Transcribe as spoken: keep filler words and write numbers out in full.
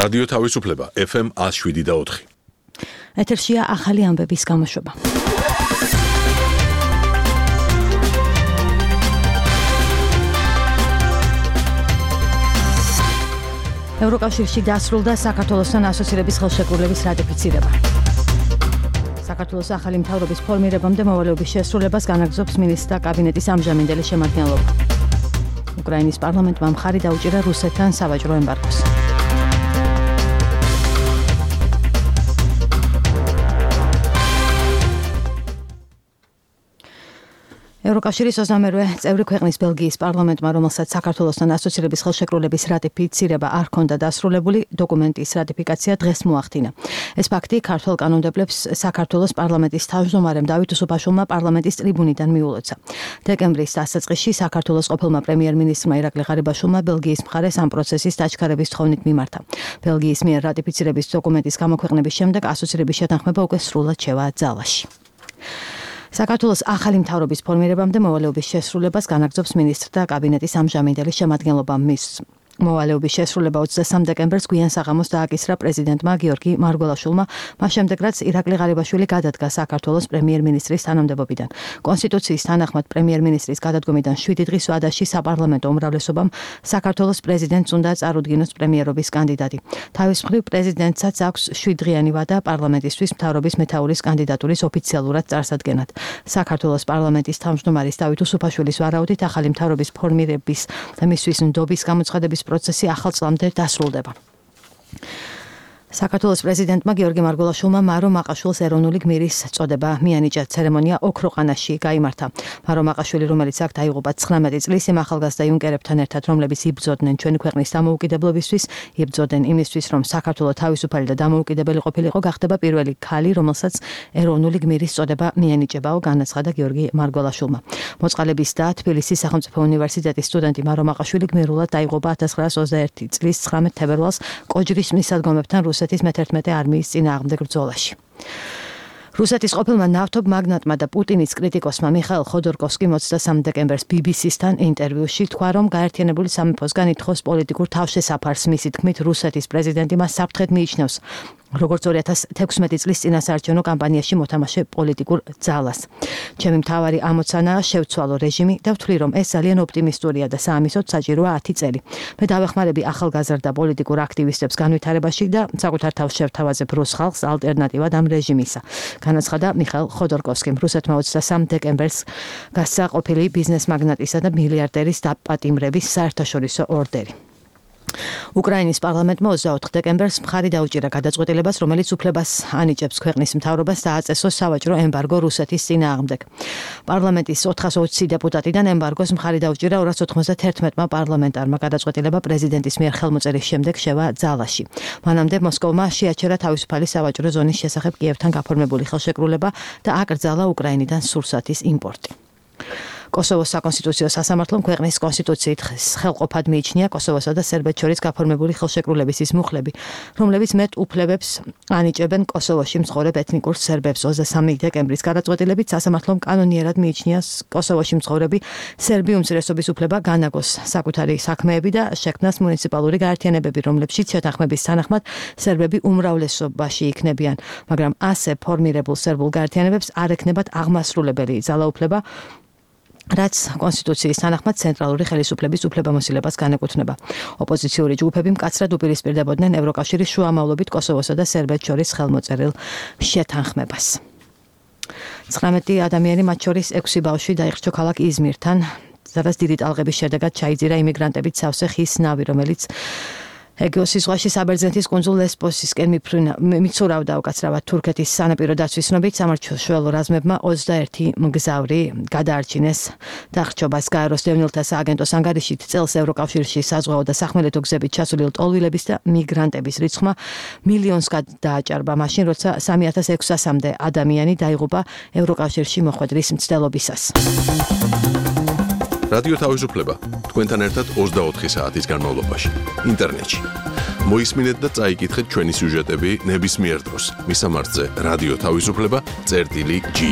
რადიო თავისუფლება ეფ ემ one oh seven და four. ეთერშია ახალი ამბების გამოშვება. ევროკავშირში დასრულდა საქართველოსთან ასოცირების ხელშეკრულების რატიფიცირება. საქართველოს ახალი მთავრობის ფორმირებამდე მოვალეობის შესრულებას განაგრძობს მინისტრთა კაბინეტის ამჟამინდელი შემადგენლობა. უკრაინის პარლამენტმა მხარი დაუჭირა რუსეთთან სავაჭრო ემბარგოს. ევროკავშირის ოცდამერვე წევრი ქვეყნის ბელგიის პარლამენტმა, რომელსაც საქართველოსთან ასოცირების ხელშეკრულების რატიფიცირება არ ჰქონდა დასრულებული, დოკუმენტის რატიფიკაცია დღეს მოახდინა. ეს ფაქტი ქართველ კანონმდებლებს საქართველოს პარლამენტის თავმჯდომარემ დავით უსუფაშვილმა პარლამენტის ტრიბუნიდან მიულოცა. დეკემბრის დასაწყისში საქართველოს ყოფილმა პრემიერ-მინისტრმა ირაკლი ღარიბაშვილმა ბელგიის მხარეს ამ პროცესის დაჩქარების თხოვნით მიმართა. ბელგიის მიერ რატიფიცირების დოკუმენტის გამოქვეყნების შემდეგ ასოცირების შეთანხმება უკვე სრულად შევა ძალაში. საქართველოს ახალი მთავრობის ფორმირებამდე მოვალეობის შესრულებას განაგრძობს მინისტრთა კაბინეტის ამჟამინდელი შემადგენლობა. მის მოვალეობის შესრულება ოცდასამ დეკემბერს გვიან საღამოს დააკისრა პრეზიდენტმა გიორგი მარგველაშვილმა, მას შემდეგ რაც ირაკლი ღარიბაშვილი გადადგა საქართველოს პრემიერ-მინისტრის თანამდებობიდან. კონსტიტუციის თანახმად პრემიერ-მინისტრის გადადგომიდან შვიდი დღის ვადაში საპარლამენტო უმრავლესობამ საქართველოს პრეზიდენტს უნდა წარუდგინოს პრემიერობის კანდიდატი. თავის მხრივ პრეზიდენტსაც აქვს შვიდდღიანი ვადა პარლამენტისთვის მთავრობის მეთაურის კანდიდატურის ოფიციალურად წარსადგენად. საქართველოს პარლამენტის თავმჯდომარის დავით უსუფაშვილის ვარაუდით ახალი მთავრობის ფორმირების და მისთვის ნდობის გამოცხადების პროცესი ახალ წლამდე დასრულდება. საქართველოს პრეზიდენტმა გიორგი მარგველაშვილმა მარო მაყაშვილს ეროვნული გმირის წოდება მიანიჭა. ცერემონია ოქროყანაში გაიმართა. მარო მაყაშვილი, რომელიც აქ დაიღუპა ცხრამეტი წლის, იმ ახალგაზრდა იუნკერებთან ერთად, რომლებიც იბრძოდნენ ჩვენი ქვეყნის დამოუკიდებლობისთვის, იბრძოდნენ იმისთვის, რომ საქართველო თავისუფალი და დამოუკიდებელი ყოფილიყო, გახდება პირველი ქალი, რომელსაც ეროვნული გმირის წოდება მიენიჭებაო, განაცხადა გიორგი მარგველაშვილმა. მოწყალების და თბილისის სახელმწიფო უნივერსიტეტის სტუდენტი მარო მაყაშვილი გმირულად დაიღუპა ათას ცხრაას ოცდაერთი წლის ცხრამეტ თებერვალს კოჯრის მისადგომებთან რუსეთის მეთერთმეტე არმიის წინააღმდეგ ბრძოლაში. რუსეთის ყოფილმა ნავთობ მაგნატმა და პუტინის კრიტიკოსმა მიხაილ ხოდორკოვსკიმ ოცდასამ დეკემბერს ბი ბი სისთან ინტერვიუში თქვა, რომ გაერთიანებული სამეფოსგან ითხოვს პოლიტიკურ თავშესაფარს. მისი თქმით, რუსეთის პრეზიდენტი მას საფრთხედ მიიჩნევს, როგორც ორი ათას თექვსმეტი წლის წინასაარჩევნო კამპანიაში მოთამაშე პოლიტიკურ ძალას. ჩემი მთავარი ამოცანაა შევცვალო რეჟიმი და ვთვლი, რომ ეს ძალიან ოპტიმისტურია და საამისოდ საჭიროა ათი წელი. მე დავეხმარები ახალგაზრდა პოლიტიკურ აქტივისტებს განვითარებაში და საკუთარ თავს შევთავაზებ რუს ხალხს ალტერნატივად ამ რეჟიმისა. განაცხადა მიხაილ ხოდორკოვსკიმ. რუსეთმა ოცდასამ დეკემბერს გასცა ყოფილი ბიზნეს მაგნატისა და მილიარდერის დაპატიმრების საერთაშორისო ორდერი. უკრაინის პარლამენტმა ოცდაოთხ დეკემბერს მხარი დაუჭირა გადაწყვეტილებას, რომელიც უფლებას ანიჭებს ქვეყნის მთავრობას დააწესოს სავაჭრო ემბარგო რუსეთის წინააღმდეგ. პარლამენტის ოთხას ოცი დეპუტატიდან ემბარგოს მხარი დაუჭირა ორას ოცდაათმა პარლამენტარმა. გადაწყვეტილება პრეზიდენტის მიერ ხელმოწერის შემდეგ შევა ძალაში. მანამდე მოსკოვმა შეაჩერა თავისუფალი სავაჭრო ზონის შესახებ კიევთან გაფორმებული ხელშეკრულება და აკრძალა უკრაინიდან სურსათის იმპორტი. კოსოვოს საკონსტიტუციო სასამართლომ ქვეყნის კონსტიტუციით ხელყოფად მიიჩნია კოსოვოსა და სერბეთს შორის გაფორმებული ხელშეკრულების ის მუხლები, რომლებიც მეტ უფლებებს ანიჭებენ კოსოვოში მცხოვრებ ეთნიკურ სერბებს. ოცდასამი დეკემბრის გადაწყვეტილებით სასამართლომ კანონიერად მიიჩნია კოსოვოში მცხოვრები სერბი უმცირესობის უფლება განაგოს საკუთარი საქმეები და შექმნას მუნიციპალური გაერთიანებები, რომლებშიც შეთანხმების თანახმად სერბები უმრავლესობაში იქნებიან, მაგრამ ასე ფორმირებულ სერბულ გაერთიანებებს არ ექნებათ აღმასრულებელი ძალაუფლება, რაც კონსტიტუციის თანახმად ცენტრალური ხელისუფლების უფლებამოსილებას განეკუთვნება. ოპოზიციური ჯგუფები მკაცრად უპირისპირდებოდნენ ევროკავშირის შუამავლობით კოსოვოსა და სერბეთს შორის ხელმოწერილ შეთანხმებას. ცხრამეტი ადამიანი, მათ შორის ექვსი ბავშვი დაიხრჩო ქალაქ იზმირთან, სადაც დიდი ტალღების შედეგად ჩაიძირა იმიგრანტებით სავსე ხის ნავი, რომელიც ეგეოსის ზღვაში საბერძნეთის კუნძულ ლესბოსისკენ მიცურავდა უკაცრავად. თურქეთის სანაპირო დაცვის ცნობით სამართლმშველო რაზმებმა ოცდაერთი მგზავრი გადაარჩინეს დახრჩობას. გაეროს დევნილთა სააგენტოს ანგარიშით წელს ევროკავშირში საზღვაო და სახმელეთო გზებით ჩასული ლტოლვილების და მიგრანტების რიცხვმა მილიონს გადააჭარბა, მაშინ როცა სამი ათას ექვსასამდე ადამიანი დაიღუპა ევროკავშირში მოხვედრის მცდელობისას. რადიო თავისუფლება თქვენთან ერთად ოცდაოთხი საათის განმავლობაში ინტერნეტში. მოისმინეთ და წაიკითხეთ ჩვენი სიუჟეტები ნებისმიერ დროს. მისამართზე რადიო თავისუფლება წერტილი ჯი.